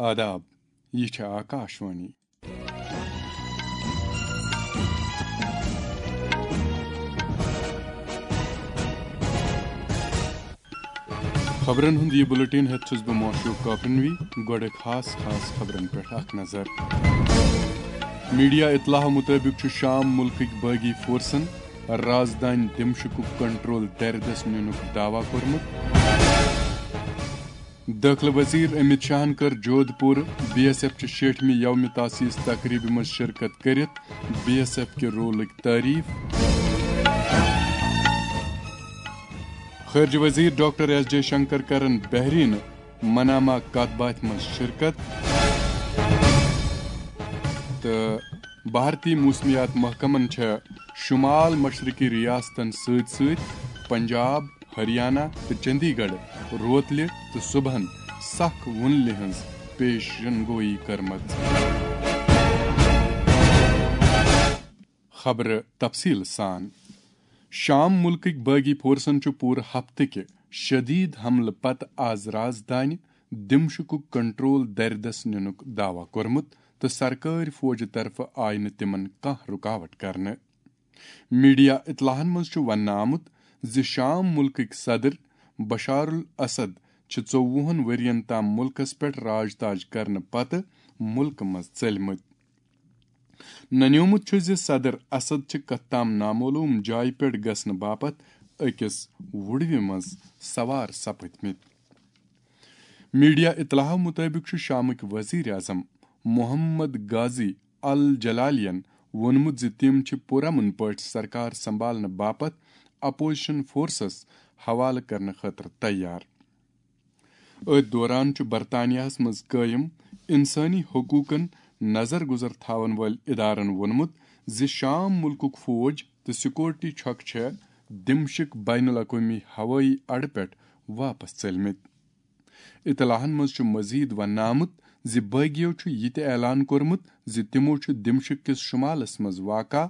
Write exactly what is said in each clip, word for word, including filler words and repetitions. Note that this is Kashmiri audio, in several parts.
آداب، یہِ چھِ آکاشوانی۔ خبرن ہُنٛد یہِ بلیٹن ہٮ۪تھ چھُس بہٕ معشوق کاپنوی۔ گۄڈٕ خاص خاص خبرن پٮ۪ٹھ اکھ نظر۔ میڈیا اطلاع مُطٲبِق چھُ شام مُلکٕکۍ باغی فورسن رازدانۍ دمشقُک کنٹرول دردس نِنُک دعویٰ کوٚرمُت۔ دٲخلہٕ وزیر امت شاہن کٔر جودھ پوٗر بی ایس ایف چہِ شیٹھمہِ یوم تاسیس تقریبہِ منٛز شرکت کٔرِتھ بی ایس ایف کہِ رولٕکۍ تعریف۔ خارجہ وزیر ڈاکٹر ایس جے شنکر کرن بحرین منامہ کتھ باتھِ منٛز شرکت۔ تہٕ بھارتی موسمیات محکمن چھےٚ شمال مشرقی ریاستن سۭتۍ سۭتۍ پنجاب، ہریانہ تہٕ چندی گڑھ روتلہِ تہٕ صبحن سخ وُنلہِ ہٕنٛز پیشن گویی کٔرمٕژ۔ خبرٕ تفصیل سان۔ شام مُلکٕکۍ باغی فورسن چھُ پوٗرٕ ہفتہٕ کہِ شدید حملہٕ پتہٕ آز رازدانہِ دمشقُک کنٹرول دردس نِنُک دعویٰ کوٚرمُت تہٕ سرکٲرۍ فوجہِ طرفہٕ آیہِ نہٕ تِمن کانٛہہ رُکاوٹ کرنہٕ۔ میڈیا اطلاعن منٛز چھُ وننہٕ آمُت زِ شام مُلکٕکۍ صدر بشار الاسد چھِ ژوٚوُہن ؤرین تام مُلکس پٮ۪ٹھ راج تاج کرنہٕ پتہٕ مُلکہٕ منٛز ژٔلمٕتۍ۔ ننیومُت چھُ زِ صدر اسد چھِ کتھ تام نامعلوم جایہِ پٮ۪ٹھ گژھنہٕ باپتھ أکِس وُڑوِ منٛز سوار سپٕدمٕتۍ۔ میڈیا اطلاعو مُطٲبِق چھُ شامٕکۍ وزیر اعظم محمد غازی الجلالیَن ووٚنمُت زِ تِم چھِ پُرامن پٲٹھۍ سرکار سنبھالنہٕ باپتھ اپوزیشن فورسز حوالہٕ کرنہٕ خٲطرٕ تیار۔ أتھۍ دوران چھُ برطانیہس منٛز قٲیِم انسٲنی حقوٗقن نظر گُزر تھاون وٲلۍ ادارن ووٚنمُت زِ شام مُلکُک فوج تہٕ سیکورٹی چھۄکہٕ چھےٚ دمشق بین الاقوٲمی ہوٲیی اڈٕ پٮ۪ٹھ واپس ژٔلمٕتۍ۔ اطلاعن منٛز چھُ مزید وننہٕ آمُت زِ باغیو چھُ یہِ تہِ اعلان کوٚرمُت زِ تِمو چھُ دمشق کِس شمالس منٛز واقع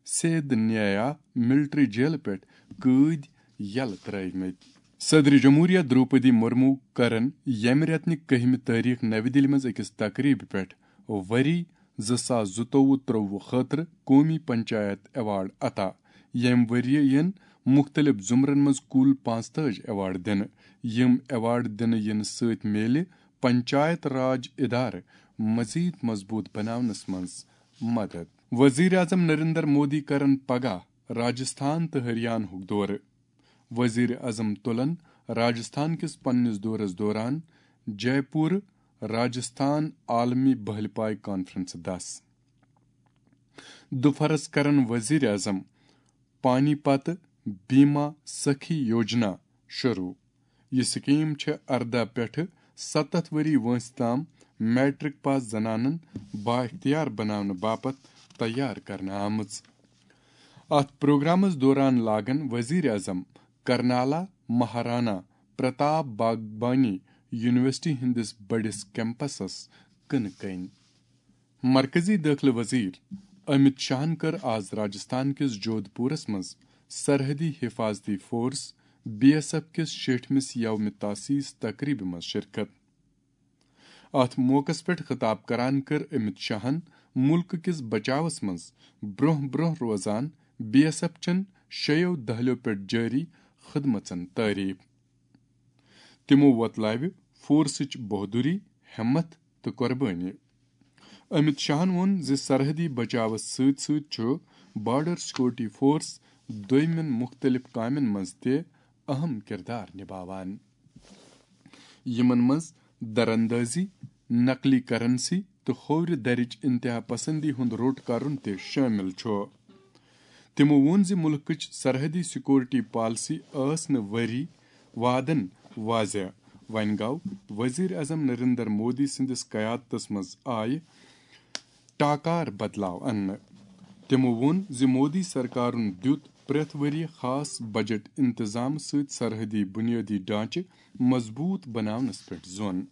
سید نیا ملٹری جیلہٕ پٮ۪ٹھ قٲدۍ یلہٕ ترٲومٕتۍ۔ صدر جمہوریہ دروپدی مرمو کرن ییٚمہِ رٮ۪تنہِ کٔہمہِ تٲریخ نوِ دِلہِ منٛز أکِس تقریبہِ پٮ۪ٹھ ؤری زٕ ساس زٕتووُہ ترٛووُہ خٲطرٕ قومی پنچایت ایوارڈ عطا۔ ییٚمہِ ؤرۍ یِن مُختٔلِف زُمرن منٛز کُل پانٛژتٲجۍ ایوارڈ دِنہٕ۔ یِم ایوارڈ دِنہٕ یِنہٕ سۭتۍ میلہِ پنچایت راج ادارٕ مزید مضبوط بناونس منٛز مدد۔ وزیر اعظم نریندر مودی کرن پگاہ راجستھان تہٕ ہریانہُک دورٕ۔ وزیر اعظم تُلن راجستھان کِس پننِس دورس دوران جے پور راجستھان عالمی بہلہِ پاے کانفرنس دس۔ دُپھرس کرن وزیر اعظم پانی پت بیما سخی یوجنا شروع۔ یہِ سکیٖم چھےٚ ارداہ پٮ۪ٹھٕ ستتھ ؤری وٲنٛسہِ تام میٹرک پاس زنانن بااختیار بناونہٕ باپتھ تیار کرنہٕ آمٕژ۔ اتھ پروگرامس دوران لاگن وزیر اعظم کرنالا مہارانا پرتاپ باغبانی یونیورسٹی ہٕنٛدِس بٔڑِس کیمپسس کٕنہٕ کٔنۍ۔ مرکزی دٲخلہٕ وزیر امت شاہن کٔر آز راجستھان کِس جودھ پورس منٛز سرحدی حفاظتی فورس، بی ایس ایف کِس شیٹھمِس یوم تاسیس تقریبہِ منٛز شرکت۔ اتھ موقعس پٮ۪ٹھ خطاب کران کٔر امت شاہن مُلکہٕ کِس بچاوس منٛز برٛونٛہہ برٛونٛہہ روزان بی ایس ایف چٮ۪ن شیٚیو دہلیو پٮ۪ٹھ جٲری خدمژن تعریف۔ تِمو وۄتلاوِ فورسٕچ بہادری، ہمت تہٕ قۄربٲنی۔ امت شاہن ووٚن زِ سرحدی بچاوس سۭتۍ سۭتۍ چھُ بارڈر سیکورٹی فورس دوٚیمٮ۪ن مُختٔلِف کامٮ۪ن منٛز تہِ اہم کردار نباوان، یِمن منٛز دراندازی، نقلی کرنسی تہٕ کھوورِ درٕچ انتہا پسندی ہُنٛد روٚٹ کرُن تہِ شٲمِل چھُ۔ تِمو ووٚن زِ مُلکٕچ سرحدی سیکورٹی پالیسی ٲس نہٕ ؤری وادن واضح۔ وۄنۍ گوٚو وزیر اعظم نریندر مودی سٕنٛدِس قیادتس منٛز آیہِ ٹاکار بدلاو اننہٕ۔ تِمو ووٚن زِ مودی سرکارن دیُت پرٛٮ۪تھ ؤرۍ یہِ خاص بجٹ انتظام سۭتۍ سرحدی بنیٲدی ڈھانچہٕ مضبوط بناونس پٮ۪ٹھ زون۔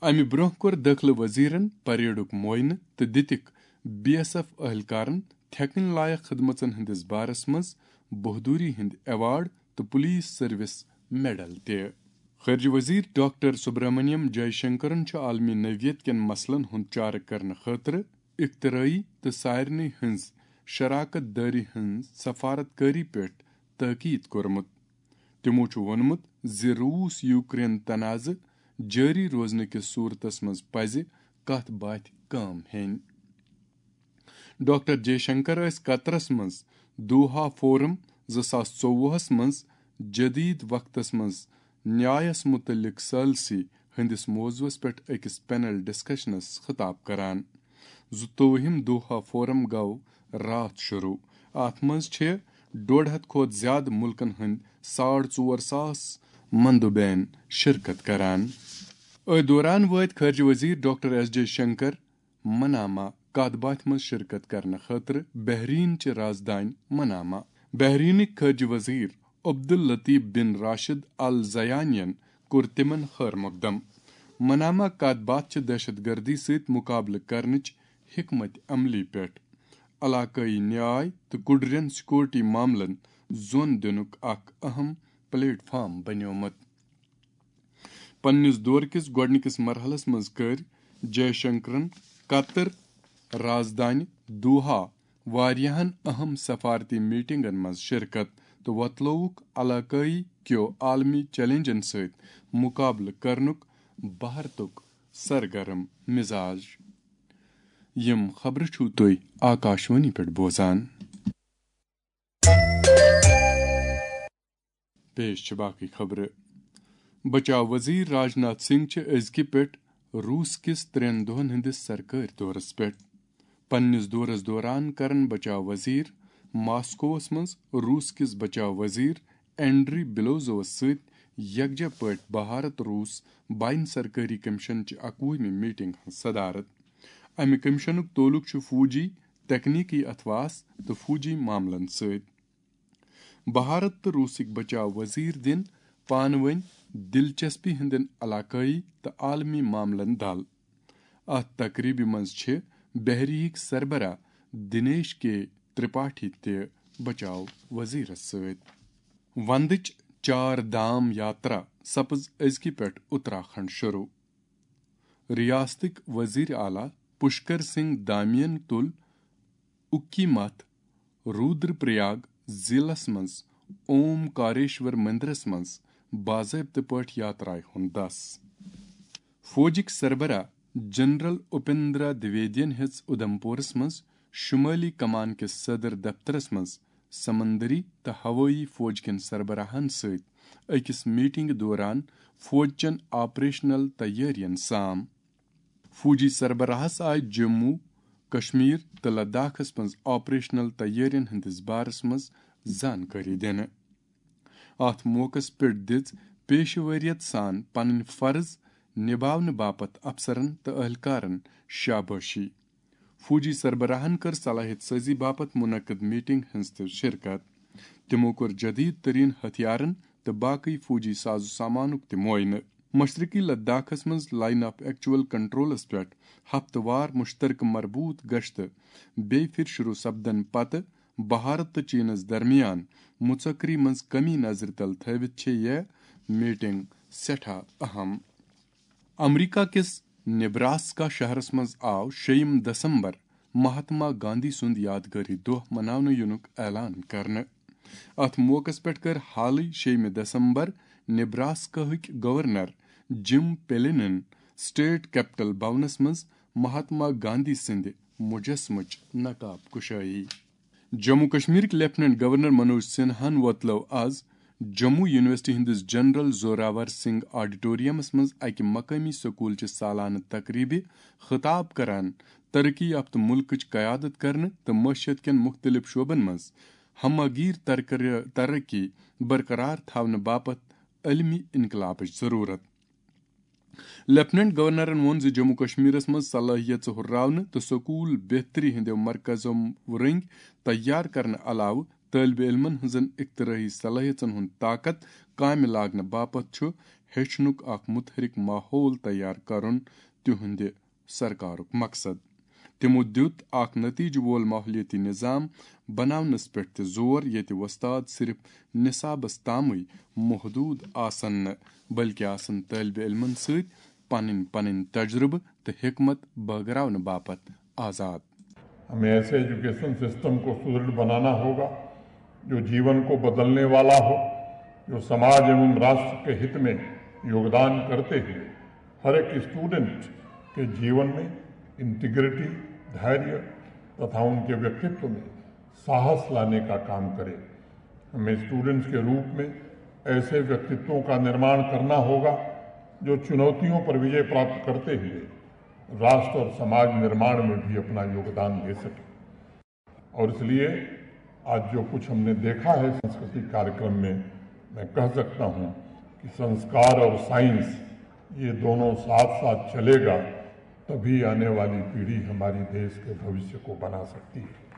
امہِ برٛونٛہہ کوٚر دٲخلہٕ وزیرن پریڈُک معائنہٕ تہٕ دِتِکھ بی ایس ایف اہلکارن تھٮ۪کٕنۍ لایق خدمژن ہٕنٛدِس بارس منٛز بہادری ہٕنٛدۍ ایوارڈ تہٕ پولیس سروس میڈل تہِ۔ خارجہ وزیر ڈاکٹر سبرامنیم جے شنکرن چھُ عالمی نوعیت کٮ۪ن مسلن ہُنٛد چارٕ کرنہٕ خٲطرٕ اختراعی تہٕ سارنٕے ہٕنٛز شراکت دٲری ہٕنٛز سفارت کٲری پٮ۪ٹھ تاکید کوٚرمُت۔ تِمو چھُ ووٚنمُت زِ روٗس یوکرین تنازٕ جٲری روزنہٕ کِس صورتس منٛز پزِ کتھ باتھِ کٲم ہیٚنۍ۔ ڈاکٹر جے شنکر ٲسۍ قطرس منٛز دوحہ فورم زٕ ساس ژوٚوُہس منٛز جدید وقتس منٛز نیایس متعلق ثالثی ہٕنٛدِس موضوعس پٮ۪ٹھ أکِس پینل ڈسکشنس خطاب کران۔ زٕتووُہِم دوحہ فورم گوٚو راتھ شروع۔ اتھ منٛز چھِ ڈوڈ ہتھ کھۄتہٕ زیادٕ مُلکن ہٕنٛدۍ ساڑ ژور ساس مندوبین شرکت کران۔ أتھۍ دوران وٲتۍ خارجہ وزیر doctor S J Shankar Manama کتھ باتھِ منٛز شرکت کرنہٕ خٲطرٕ بحرین چہِ رازدانۍ منامہ۔ بحرینٕکۍ خارجہ وزیر عبداللطیف بن راشد الزیانین کوٚر تِمن خٲر مقدم۔ منامہ کتھ باتھ چھِ دہشت گردی سۭتۍ مقابلہٕ کرنٕچ حکمت عملی پٮ۪ٹھ علاقٲیی نیاے تہٕ کُڈرٮ۪ن سیکورٹی معاملن زون دِنُک اکھ اہم پلیٹ فارم بنیومُت۔ پننِس دورٕ کِس گۄڈٕنِکِس مرحلس منٛز کٔرۍ جے شنکرن قطر رازدانہِ دوحہ واریاہن اہم سفارتی میٹنگن منٛز شرکت تہٕ وۄتلووُکھ علاقٲیی کیو عالمی چیلنجن سۭتۍ مقابلہٕ کرنُک بھارتُک سرگرم مزاج۔ یِم خبرٕ چھِو تُہۍ آکاشوانی پٮ۪ٹھ بوزان۔ پیش چھِ باقٕے خبرٕ۔ بچاو وزیر راجناتھ سنگھ چھِ أزکہِ پٮ۪ٹھ روٗس کِس ترٛٮ۪ن دۄہن ہٕنٛدِس سرکٲرۍ دورس پٮ۪ٹھ۔ پننِس دورس دوران کرن بچاو وزیر ماسکووس منٛز روٗس کِس بچاو وزیر اینڈری بلوزووس سۭتۍ یکجا پٲٹھۍ بھارت روٗس بین سرکٲری کمیشن چہِ اکوُہمہِ میٹنگ ہٕنٛز صدارت۔ امہِ کمیشنُک تعلق چھُ فوجی، تکنیکی اتھواس تہٕ فوجی معاملن سۭتۍ۔ بھارت تہٕ روٗسٕکۍ بچاو وزیر دِن پانہٕ وٲنۍ دلچسپی ہٕنٛدٮ۪ن علاقٲیی تہٕ عالمی معاملن دل۔ اتھ تقریبہِ منٛز چھِ بحریہٕکۍ سربراہ دنیش کے ترپاٹھی تہِ بچاو وزیرس سۭتۍ۔ وندٕچ چار دھام یاترا سپٕز أزکہِ پٮ۪ٹھ اتراکھنڈ شروع۔ ریاستٕکۍ وزیر اعلیٰ پشکر سنگھ دامین تُل اُکی متھ رودر پریاگ ضلعس منٛز اوم کاریشور مندرس منٛز باضٲبطہٕ پٲٹھۍ یاترایہِ ہُنٛد دس۔ فوجٕکۍ سربراہ جنرل اپیندرا دویدین ہیٚژ اُدھمپورس منٛز شمٲلی کمان کِس صدر دفترس منٛز سمندری تہٕ ہوٲیی فوج کٮ۪ن سربراہن سۭتۍ أکِس میٹنگہِ دوران فوج چٮ۪ن آپریشنل تیٲرین سام۔ فوجی سربراہس آیہِ جموں، کشمیر تہٕ لداخس منٛز آپریشنل تیٲرین ہٕنٛدِس بارس منٛز زانکٲری دِنہٕ۔ اتھ موقعس پٮ۪ٹھ دِژ پیشہٕ وٲریت سان پنٕنۍ فرض نباونہٕ باپتھ افسرن تہٕ اہلکارن شابٲشی۔ فوجی سربراہن کٔر صلاحیت سازی باپتھ منعقد میٹنگ ہٕنٛز تہِ شرکت۔ تِمو کوٚر جدید ترین ہتھیارن تہٕ باقی فوجی ساز و سامانُک تہِ معائنہٕ۔ مشرقی لداخس منٛز لائن آف ایکچوئل کنٹرولس پٮ۪ٹھ ہفتہٕ وار مشترکہٕ مربوط گشتہٕ بیٚیہِ پھِرِ شروع سپدن پتہٕ بھارت تہٕ چینس درمیان مُژکری منٛز کمی نظرِ تل تھٲوِتھ چھےٚ یہِ میٹنگ سٮ۪ٹھاہ اہم۔ امریکہ کِس نیبراسکا شہرس منٛز آو شیٚیِم دسمبر مہاتما گاندھی سُنٛد یادگٲری دۄہ مناونہٕ یِنُک اعلان کرنہٕ۔ اتھ موقعس پٮ۪ٹھ کٔر حالٕے شیٚیِمہِ دسمبر نیبراسکاہٕکۍ گورنر جم پیلینن سٹیٹ کیپٹل بھونس منٛز مہاتما گاندھی سٕنٛدِ مجسمٕچ نقاب کشٲیی۔ جموں کشمیرٕکۍ لیفٹیننٹ گورنر منوج سنہاہن وۄتلٲو از جموں یونیورسٹی ہٕنٛدِس جنرل زوراور سنگھ آڈیٹوریمس منٛز اکہِ مقٲمی سکوٗلچہِ سالانہٕ تقریبہِ خطاب کران ترقی یافتہٕ مُلکٕچ قیادت کرنہٕ تہٕ معیشت کٮ۪ن مُختٔلِف شعبن منٛز ہمہ گیر ترقی برقرار تھاونہٕ باپتھ عالمی انقلابٕچ ضروٗرت۔ لیفٹیننٹ گورنرن ووٚن زِ جموں کشمیرس منٛز صلٲحیژٕ ہُرراونہٕ تہٕ سکوٗل بہتری ہٕنٛدیو مرکزو رٔنگۍ تیار کرنہٕ علاوٕ طٲلبہِ علمن ہٕنٛزن اختراعی صلٲحیژن ہُنٛد طاقت کامہِ لاگنہٕ باپتھ چھُ ہیٚچھنُک اکھ متحرک ماحول تیار کرُن تِہنٛدِ سرکارُک مقصد۔ تِمو دیُت اکھ نتیجہٕ وول ماحولیٲتی نظام بناونس پٮ۪ٹھ تہِ زور، ییٚتہِ وۄستاد صرف نصابس تامٕے محدوٗد آسن نہٕ، بلکہِ آسن طٲلبِ علمن سۭتۍ پنٕنۍ پنٕنۍ تجربہٕ تہٕ حکمت بٲگراونہٕ باپتھ آزاد۔ ہمیں ایسے ایجوکیشن سسٹم کو سدرڑھ بنانا ہوگا جو جیون کو بدلنے والا ہو، جو سماج ایوم راشٹر کے ہت میں یوگدان کرتے ہوئے ہر ایک اسٹوڈنٹ کے جیون میں انٹیگریٹی، دھیریہ تتھا ان کے ویکتو میں ساہس لانے کا کام کرے۔ ہمیں اسٹوڈنٹس کے روپ میں ایسے ویکتتوں کا نرماڑ کرنا ہوگا جو چنوتیوں پر وجے پراپت کرتے ہوئے راشٹر اور سماج نرماڑ میں بھی اپنا یوگدان دے سکے۔ اور اس لیے آج جو کچھ ہم نے دیکھا ہے سنسکرتی کاریکرم میں، میں کہہ سکتا ہوں کہ سنسکار اور سائنس یہ دونوں ساتھ ساتھ چلے گا، تبھی آنے والی پیڑھی ہماری دیش کے بھوشیہ کو بنا سکتی ہے۔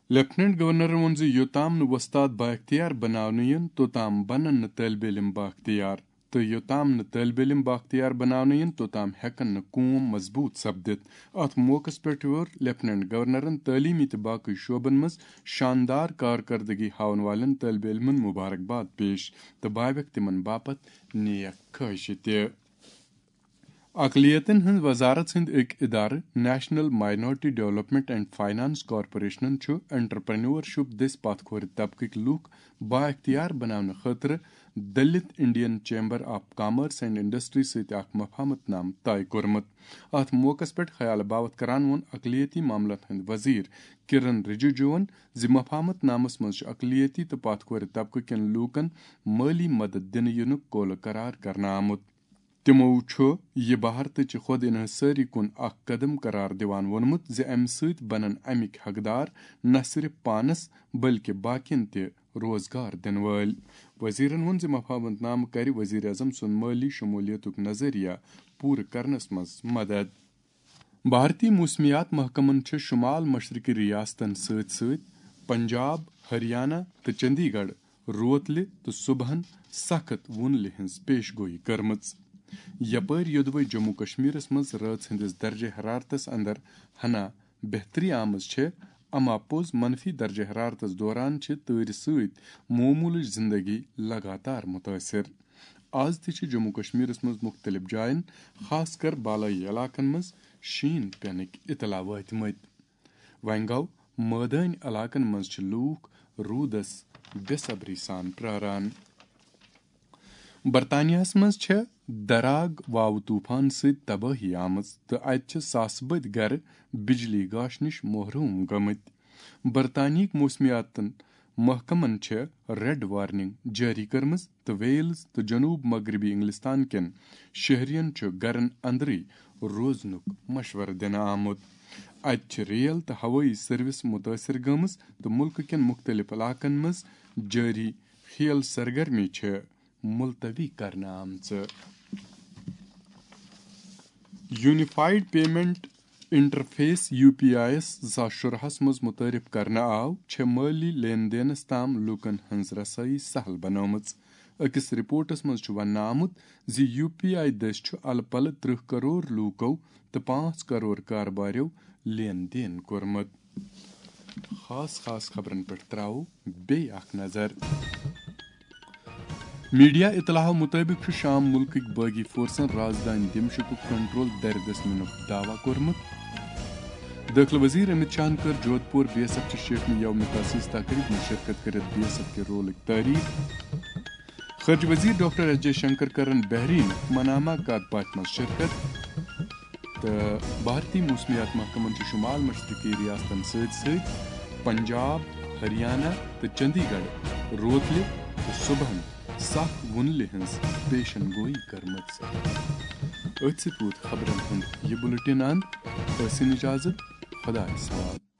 لیفٹیننٹ گورنرن ووٚن زِ یوٚتام نہٕ وۄستاد بااختیار بناونہٕ یِن، توٚتام بنن نہٕ طٲلبہِ علم بااختیار، تہٕ یوٚتام نہٕ طٲلبہِ علم بااختیار بناونہٕ یِن، توٚتام ہٮ۪کن نہٕ قوم مضبوٗط سپدِتھ۔ اتھ موقعس پٮ۪ٹھ ووٚر لیفٹیننٹ گورنرن تعلیمی تہٕ باقٕے شعبن منٛز شاندار کارکردگی ہاون والٮ۪ن طٲلبہِ علمن مبارکباد پیش تہٕ باوٮ۪کھ تِمن باپتھ نیک خواہشہِ تہِ۔ اقلیتن ہٕنٛز وزارت ہٕنٛدۍ أکۍ ادارٕ national minority development and finance کارپوریشنن چھُ انٹرپرینیورشپ دٔسۍ پتھ کھورِ طبقٕکۍ لوٗکھ بااختیار بناونہٕ خٲطرٕ Dalit Indian chamber of commerce and industry سۭتۍ اکھ مفاہمت نامہٕ طے کوٚرمُت۔ اتھ موقعس پٮ۪ٹھ خیال باوتھ کران ووٚن اقلیتی معاملن ہٕنٛدۍ وزیر کرن رجیجوَن زِ مفاہمت نامس منٛز چھُ اقلیتی تہٕ پتھ کھورِ طبقہٕ کٮ۪ن لوٗکن مٲلی مدد دِنہٕ یِنُک قولہٕ قرار کرنہٕ آمُت۔ تِمو چھُ یہِ بھارتٕچہِ خۄد انحصٲری کُن اکھ قدم قرار دِوان ووٚنمُت زِ امہِ سۭتۍ بنن امِکۍ حقدار نہ صرف پانس بلکہِ باقین تہِ روزگار دِنہٕ وٲلۍ۔ وزیرن ووٚن زِ مفاہمت نامہٕ کرِ وزیر اعظم سُنٛد مٲلی شمولیتُک نظریہ پوٗرٕ کرنس منٛز مدد۔ بھارتی موسمیات محکمن چھِ شمال مشرقی ریاستن سۭتۍ سۭتۍ پنجاب، ہریانہ تہٕ چندی گڑھ روتلہِ تہٕ صبحن سخت وُنلہِ ہٕنٛز پیش گویی کٔرمٕژ۔ یپٲرۍ یوٚدوے جموں کشمیرس منٛز رٲژ ہٕنٛدِس درجہ حرارتس اندر ہنا بہتری آمٕژ چھےٚ، اما پوٚز منفی درجہ حرارتس دوران چھِ تۭرِ سۭتۍ معمولٕچ زندگی لگاتار متٲثر۔ از تہِ چھِ جموں کشمیرس منٛز مختلف جاین، خاص کر بالٲیی علاقن منٛز شیٖن پینٕکۍ اطلاع وٲتمٕتۍ۔ وۄنۍ گوٚو، مٲدٲنۍ علاقن منٛز چھِ لوٗکھ روٗدس بے صبری سان پراران۔ برطانیہس منٛز چھےٚ دراگ واوٕ طوفان سۭتۍ تبٲہی آمٕژ تہٕ اتہِ چھِ ساسہٕ بٔدۍ گرٕ بجلی گاش نِش محروم گٔمٕتۍ۔ برطانیہٕکۍ موسمیاتن محکمن چھےٚ ریڈ وارننگ جٲری کٔرمٕژ تہٕ ویلز تہٕ جنوب مغربی انگلستان کٮ۪ن شہرین چھُ گرن اندرٕے روزنُک مشورٕ دِنہٕ آمُت۔ اتہِ چھِ ریل تہٕ ہوٲیی سروس متٲثر گٔمٕژ تہٕ مُلکہٕ کٮ۪ن مُختٔلِف علاقن منٛز جٲری کھیل سرگرمی چھِ ملتوی کرنہٕ آمژٕ۔ Unified payment interface, U P I یس زٕ ساس شُراہس منٛز متعارف کرنہٕ آو، چھےٚ مٲلی لین دینس تام لوٗکن ہٕنٛز رسٲیی سہل بنٲومٕژ۔ أکِس رپورٹس منٛز چھُ وننہٕ آمُت زِ یو پی آئی دٔسۍ چھُ الہٕ پلہٕ ترٕٛہ کرور لوٗکو تہٕ پانٛژھ کرور کارباریو لین دین کوٚرمُت۔ خاص خاص خبرن پٮ۪ٹھ تراوو بیٚیہِ اکھ نظر۔ میڈیا اطلاعو مُطٲبِق چھُ شام مُلکٕکۍ بٲغی فورسن رازدٲنۍ دمشقُک کنٹرول دَرِ دٔسۍ نِنُک دعویٰ کوٚرمُت۔ دٲخلہٕ وزیر امت شاہن کٔر جودھ پور بی ایس ایف چہِ شیٹھمہِ یوم تاسیس تقریب منٛز شرکت کٔرِتھ بی ایس ایف کہِ رولٕکۍ تعریف۔ خارجہ وزیر ڈاکٹر ایس جے شنکر کرن بحرین منامہ کتھ باتھِ منٛز شرکت۔ تہٕ بھارتی موسمیات محکمن چھُ شمال مشرقی ریاستن سۭتۍ سۭتۍ پنجاب، ہریانہ تہٕ چندی گڑھ روتلہِ تہٕ صبحن سخ وُنلہِ ہٕنٛز پیشن گویی کٔرمٕژ۔ أتھۍ سۭتۍ ووت خبرن ہُنٛد یہِ بُلٹن اند۔ ٲسِن اجازت، خۄدایس حوالہٕ۔